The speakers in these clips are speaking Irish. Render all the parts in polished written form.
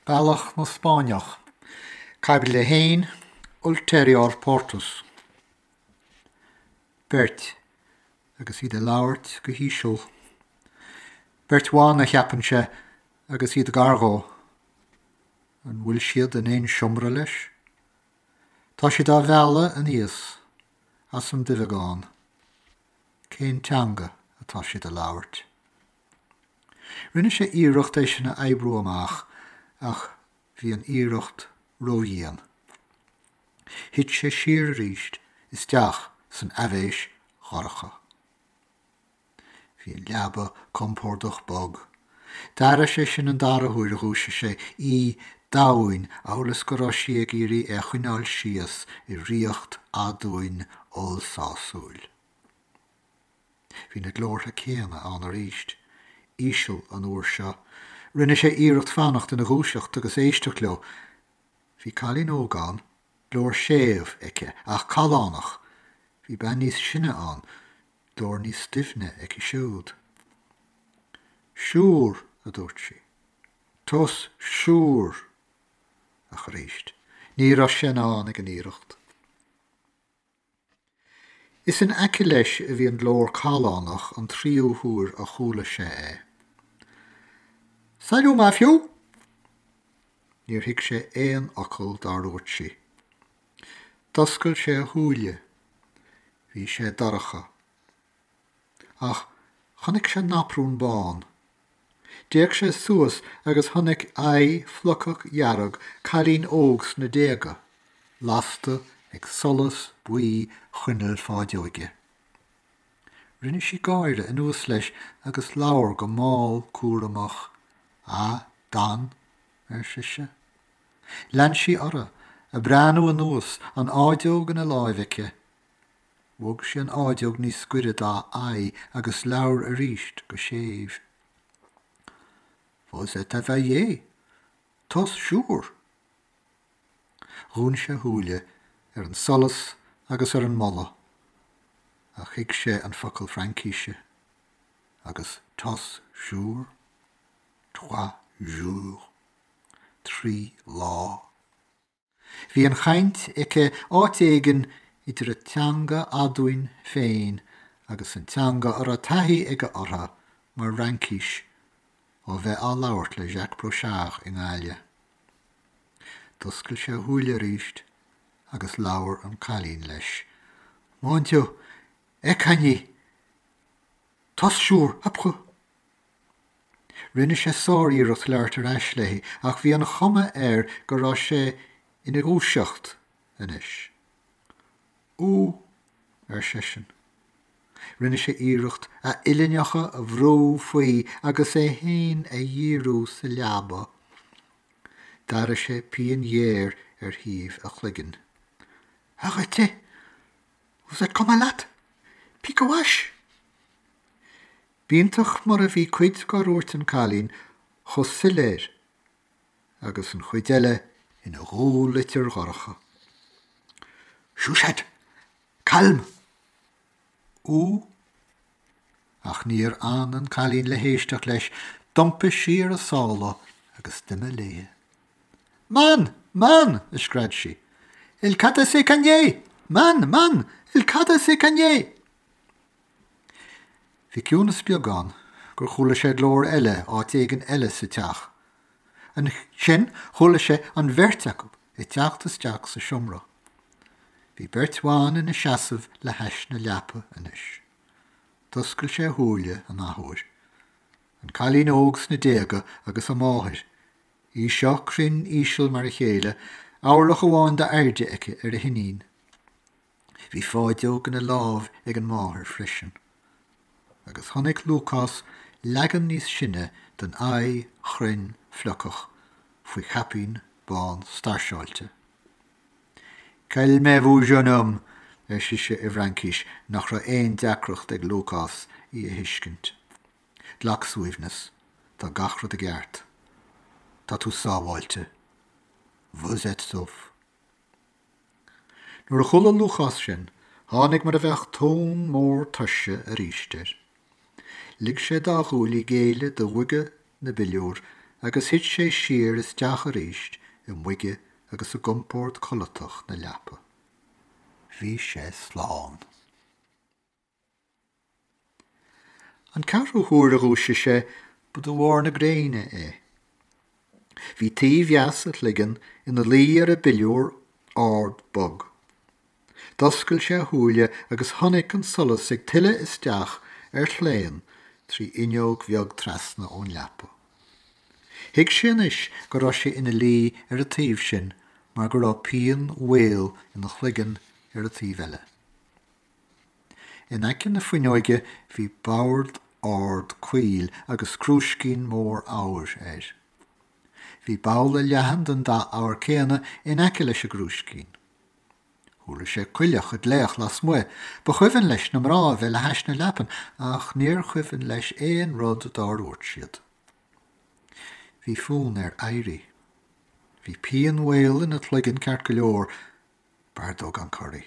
Bealach na Spáinneach, Caibidil 1, Ulterior Portus. Beirt, agus iad ag labhairt go híseal. Beirt bhan, a cheapann sé, agus iad gar dhó. An bhfuil siad in aon seomra leis? Tá siad á mhealladh aníos as an duibheagán. Cén teanga atá siad a labhairt? Rinne sé iarracht é sin a oibriú amach ach bhí an iarracht ródhian. Thit sé siar arís isteach san aibhéis dhorcha. Bhí an leaba compordach bog. D'airigh sé sin an dara huair a dhúisigh sé, í domhain amhail is go raibh sí ag iarraidh é a choinneáil síos i riocht aduain ollsásúil. Bhí na glórtha céanna ann arís, íseal an uair seo. Rinne sé iarracht fanacht ina dhúiseacht agus éisteacht leo. Bhí cailín óg ann, glór séimh aici ach callánach. Bhí bean níos sine ann, glór níos doimhne aici siúd. Siúr, a dúirt sí. Tous siúr! Ach arís, ní raibh sé in ann ag an iarracht. Is in aice leis a bhí an glór callánach an tríú huair a chuala sé é. Salut ma fiu! Níor thuig sé aon fhocal dár dhúirt sí. D'oscail sé a shúile. Bhí sé dorcha. Ach chonaic sé naprún bán. D'fhéach sé suas agus chonaic aghaidh fliuchach dhearg cailín óg sna déaga, lasta ag solas buí choinneal fáideoige. Rinne sí gáire anuas leis agus labhair go mall cúramach, A, Dan? ar sise. Lean sí uirthi, ag breathnú anuas, an fháideog ina láimh aici. Bhog sí an fháideog níos gaire dá aghaidh agus labhair arís go séimh. Vous êtes éveillé? Tous jours? Dhún sé a shúile ar an solas agus ar an mboladh, ach thuig sé an focal Fraincíse, agus tous jours? Trois jours? 3 lá. Bhí an chaint aici áit éigin idir a teanga aduain féin agus an teanga a raibh taithí aige uirthi mar Fhraincis ó bheith á labhairt le Jacques Brochard i nGaillimh. D'oscail sé a shúile arís agus labhair an cailín leis. Mon Dieu, Ecagny! Tous jours, après! Rinne sé sáriarracht labhairt ar ais léi ach bhí an chuma air go raibh sé ina dhúiseacht anois. Où? ar seisean. Rinne sé iarracht a uillinneacha a bhrú faoi agus é féin a dhíriú sa leaba. D'airigh sé pian ghéar ar thaobh a chloiginn. Arrêtez! Vous êtes comme malade! Piquewach! B'iontach mar a bhí cuid dár dhúirt an cailín chomh soiléir agus an chuid eile ina dhúlitir dhorcha. Chuchette! Calme! Où? Ach níor fhan an cailín le héisteacht leis, d'iompaigh sí ar a sála agus d'imigh léi. Man! Man! a scread sí. Il cada se cagné! Man! Man! Il cada se cagné! Bhí ciúnas beag ann gur chuala sé glór eile áit éigin eile sa teach. Ansin chuala sé an bheirt acu ag teacht isteach sa seomra. Bhí beirt bhan ina seasamh le hais na leapa anois. D'oscail sé a shúile an athuair. An cailín óg sna déaga agus a máthair, í seo cruinn íseal mar a chéile, orlach amháin d'airde aici ar a hiníon. Bhí fáideog ina lámh ag an máthair freisin. Agus chonaic Lúcás leagan níos sine den aghaidh chruinn fliuchach faoi chaipín bán stairseáilte. Calmez-vous, jeune homme, ar sise i bhFraincis nach raibh aon deacracht ag Lúcás í a thuiscint. Glac suaimhneas. Tá gach rud i gceart. Tá tú sábháilte. Vous êtes sauf. Nuair a chuala Lúcás sin, tháinig mar a bheadh tonn mór tuirse arís air. Lig sé dá ghuaillí géilleadh do bhoige na bpiliúr. agus thit sé siar isteach arís i mboige agus i gcompord codlatach na leapa. Bhí sé slán. An ceathrú huair a dhúisigh sé, ba de bharr na gréine é. Bhí taobh dheas a chloigeann ina luí ar an bpiliúr ard bog. D'oscail sé a shúile agus chonaic an solas ag tuile isteach ar chlaon trí fhuinneog bheag trasna ón leapa. Thuig sé anois go raibh sé ina luí ar an taobh sin mar go raibh pian mhaol ina chloigeann ar an taobh eile. In aice na fuinneoige bhí bord ard caol agus crúiscín mór eabhair air. Bhí babhla leathan den dath eabhair céanna in aice leis an gcrúiscín. Chuala sé coileach ag glaoch lasmuigh. Ba chuimhin leis na mná a bheith le hais na leapan ach níor chuimhin leis aon rud dár dhúirt siad. Bhí fonn air éirí. Bhí pian mhaol ina chloigeann ceart go leor, b'fhearr dó gan corraí.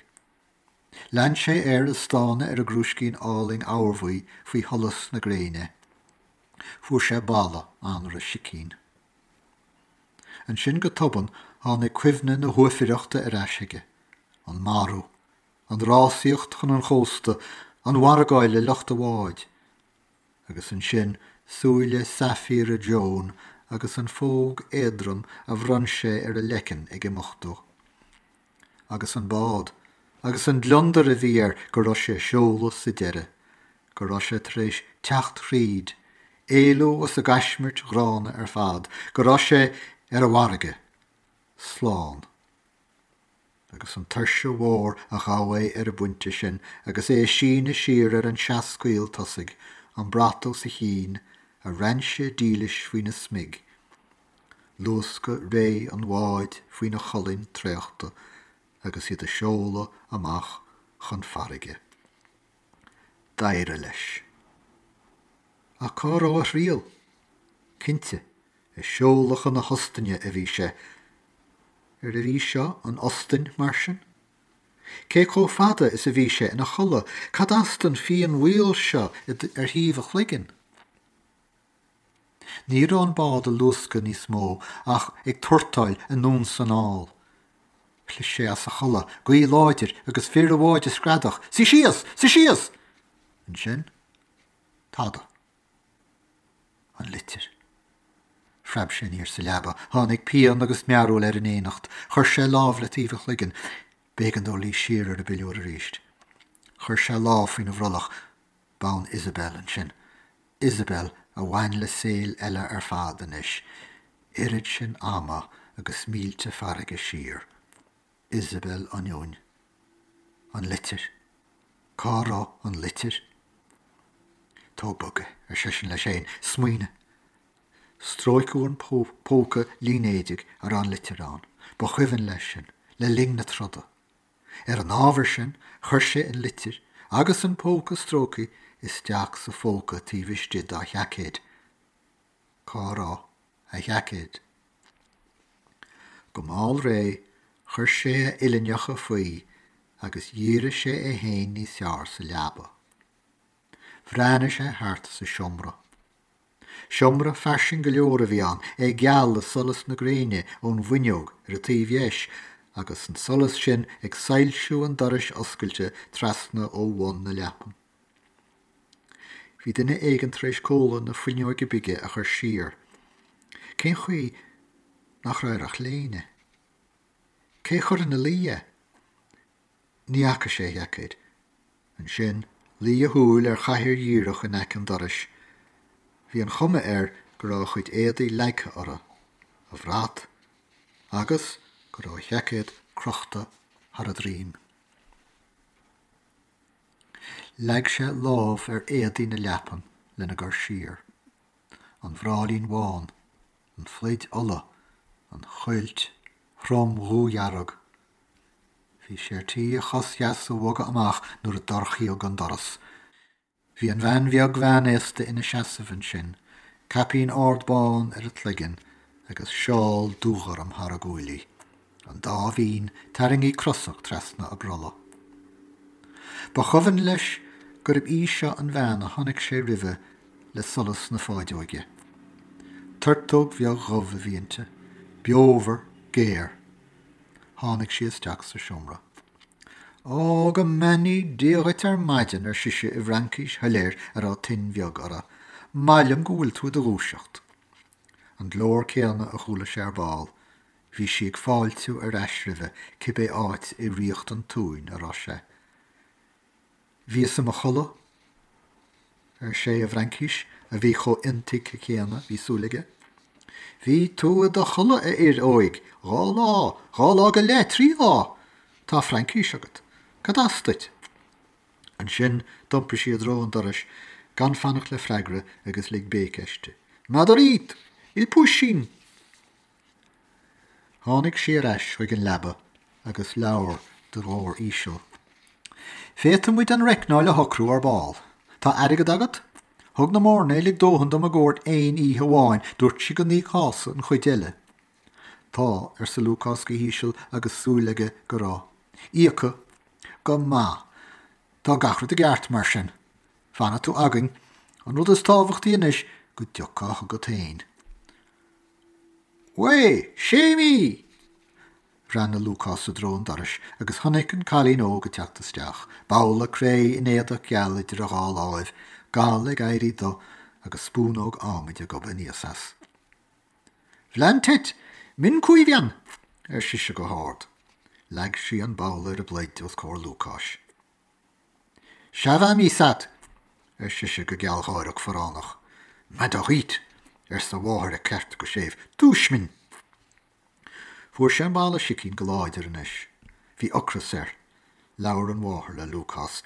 Lean sé air ag stánadh ar an gcrúiscín álainn eabharbhuí faoi sholas na gréine. Fuair sé boladh anraith sicín. Ansin go tobann tháinig cuimhne na huaifeireachta ar ais chuige, an marú, an rásaíocht chun an chósta, an mhargáil le lucht an bháid. Agus ansin súile saifíre Joan agus an phóg éadrom a bhronn sé ar a leiceann ag imeacht dó. Agus an bád, agus an gliondar a bhí air go raibh sé ag seoladh sa deireadh, go raibh sé tar éis teacht thríd, éalú as an gcaismirt ghránna ar fad, go raibh sé ar an bhfarraige, slán. Agus an tuirse mhór a ghabh é ar an bpointe sin agus é ag síneadh siar ar an seascaol tosaigh, an brat os a chionn, a rainse dílis faoina smig, Luascadh réidh an bháid faoina cholainn traochta agus iad ag seoladh amach chun farraige. D'éirigh leis. Ach cá raibh a thriall? Cinnte, ag seoladh chun na hOstainne a bhí sé. Arbh í seo an Ostainn, mar sin? Cé chomh fada is a bhí sé ina chodladh? Cad as don phian mhaol seo ar thaobh a chloiginn? Ní raibh an bád ag luascadh níos mó ach ag tuairteáil anonn 's anall. Chlis sé as a chodladh, gaoth láidir agus fir an bháid ag screadach, Suigh síos! Suigh síos! Ansin, tada. An litir. Phreab sé aniar sa leaba. Tháinig pian agus mearbhall air in éineacht. Chuir sé lámh le taobh a chloiginn. B'éigean dó luí siar ar an bpiliúr arís. Chuir sé lámh faoina bhrollach. B'ann Isabel ansin. Isabel a bhain le saol eile ar fad anois, oiread sin ama agus mílte farraige siar. Isabel ionúin. An litir. Cá raibh an litir? Tóg bog é, ar seisean leis féin. Smaoinigh. Stróiceadh an póca línéadaigh a raibh an litir ann. Ba chuimhin leis sin, le linn na troda. Ar an ábhar sin, chuir sé an litir agus an póca stróicthe isteach sa phóca taobh istigh dá sheaicéad. Cá raibh a sheaicéad? Go mall réidh, chuir sé a uillinneacha faoi agus dhírigh sé é féin níos fearr sa leaba. Bhreathnaigh sé thart sa seomra. Seomra fairsing go leor a bhí ann, é geal le solas na gréine ón bhfuinneog ar an taobh dheis agus an solas sin ag soilsiú an dorais oscailte trasna ó bhun na leapan. Bhí duine éigin tar éis comhla na fuinneoige bige a chur siar. Cén chaoi nach raibh air ach léine? Cé a chuir ina luí é? Ní fhaca sé a sheaicéad. Ansin, luigh a shúil ar chathaoir dhíreach in aice an dorais. Bhí an chuma air go raibh a chuid éadaí leagtha uirthi, a bhrat, agus go raibh a sheaicéad crochta thar a droim. Leag sé lámh ar éadaí na leapan lena gcur siar. An bhráillín bhán, an phluid olla, an chuilt throm dhúdhearg, Bhí sé ar tí a chos dheas a bhogadh amach nuair a dorchaíodh an doras. Bhí an bhean bheag mheánaosta ina seasamh ansin, caipín ard bán ar a cloigeann agus seál dúghorm thar a guaillí, an dá mhín tarraingthe crosach trasna a brollaigh. Ba chuimhin leis gurb í seo an bhean a chonaic sé roimhe le solas na fáideoige. Turtóg bheag dhubh a bhí inti, beomhar, géar. Tháinig sí isteach sa seomra. Ó, go mbeannaí Dia dhuit ar maidin, ar sise i bhFraincís shoiléir a raibh tuin bheag uirthi. Maith liom go bhfuil tú i do dhúiseacht. An glór céanna a chuala sé ar ball. Bhí sí ag fáiltiú ar ais roimhe, cibé áit i ríocht an tsuain a raibh sé. Bhíos i mo chodladh, ar sé i bhFraincís a bhí chomh intuigthe céanna, bhí súil aige. Bhí tú i do chodladh, a fhir óig, 2 lá, 2 lá go leith, 3 lá! Tá Fraincís agat. Cad as duit? Ansin d'iompaigh sí i dtreo an dorais gan fanacht le freagra agus lig béic aisti. Madarit! Il puisín! Tháinig sí ar ais chuig an leaba agus labhair de ghlór íseal. Féadfaidh muid an reicneáil a shocrú ar ball. Tá airgead agat? Thug na mairnéalaigh dóthain dom i gcomhair aon oíche amháin, dúirt sí go n-íocfása an chuid eile. Tá, arsa Lúcás go híseal agus súil aige go raibh. Íocadh. Go maith. Tá gach rud i gceart mar sin. Fanfaidh tú againn. An rud is tábhachtaí anois go dtiocfá chugat féin. Ué! Séimí! Bhreathnaigh Lúcás i dtreo an dorais agus chonaic an cailín óg ag teacht isteach, babhla cré in éadach geal idir a dhá láimh, gal ag éirí do agus spúnóg adhmaid ag gobadh aníos as. Bhleantet! Min cuimheann! ar sise go hard. Leag sí an babhla ar an bpluid os comhair Lúcáis. Ça va, Misat? ar sise go gealgháireach forránach. Madarit! arsa a mháthair ag ceart go séimh. Dúis min! Fuair sé an babhla sicín go láidir anois. Bhí ocras air. Labhair an mháthair le Lúcás.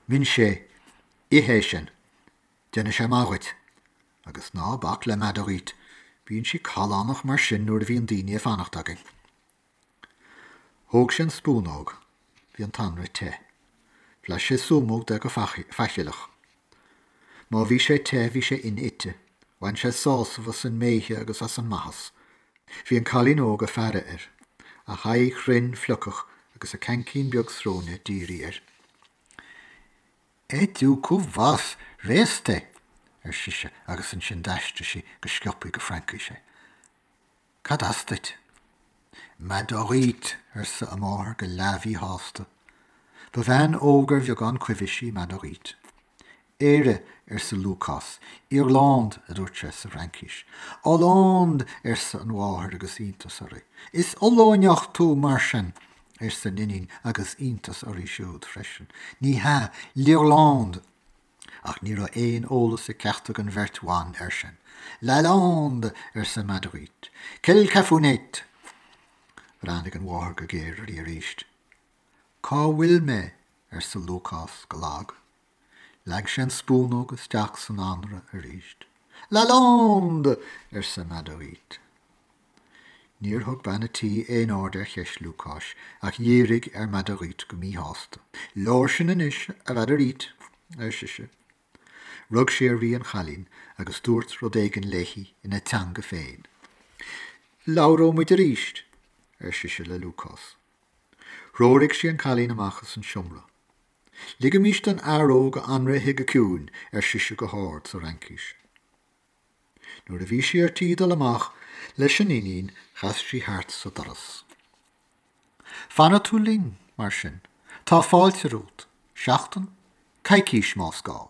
Min sé, ith é sin. Déanfaidh sé maith dhuit. Agus ná bac le Madarit. Bíonn sí callánach mar sin nuair a bhíonn daoine ag fanacht againn. Thóg sé an spúnóg. Bhí an t-anraith te. Bhlais sé súmóg de go faichilleach. Má bhí sé te, bhí sé inite. Bhain sé sásamh as an mbéithe agus as an maitheas. Bhí an cailín óg ag faire air, a haghaidh chruinn fliuchach agus a ceaincín beag sróine dírithe air. Et tu cú vas, réasta! ar sise agus ansin d'aistrigh sí go sciobtha go Fraincis é. Cad as duit? Madarit, arsa a máthair go leathmhíshásta. Ba bhean óg ar bheagán cuibhis í Madarit. Éire, arsa Lúcás. Irlande, a dúirt sé sa bhFraincís. Hollande, arsa an mháthair agus iontas uirthi. Is Ollóineach tú, mar sin, arsa an iníon agus iontas uirthi siúd freisin. Ní hea, L'Irlande. Ach ní raibh aon eolas ag ceachtar den bheirt bhan air sin. Lalande! arsa Madarit. Quelle cafounette! Bhreathnaigh an mháthair go géar uirthi arís. Cá bhfuil mé? arsa Lúcás go lag. Leag sé an spúnóg isteach san anraith arís. Lalande! arsa Madarit. Níor thug bean a' tí aon aird ar cheist Lúcáis, ach dhírigh ar Madarit go míshásta. Leor sin anois, a Mhadarit, ar sise. Rug sí uirthi an chailín agus dúirt rud éigin léi ina teanga féin. Labhróidh muid arís, ar sise le Lúcás. Threoraigh sí an cailín amach as an seomra. Ligimís don fhear óg a anraith a ithe go ciúin, ar sise go hard sa Fhraincis. Nuair a bhí sí ar tí dul amach leis an iníon chas sí thart sa doras. Fanfaidh tú linn, mar sin. Tá fáilte romhat. Seachtain? Coicís, más gá.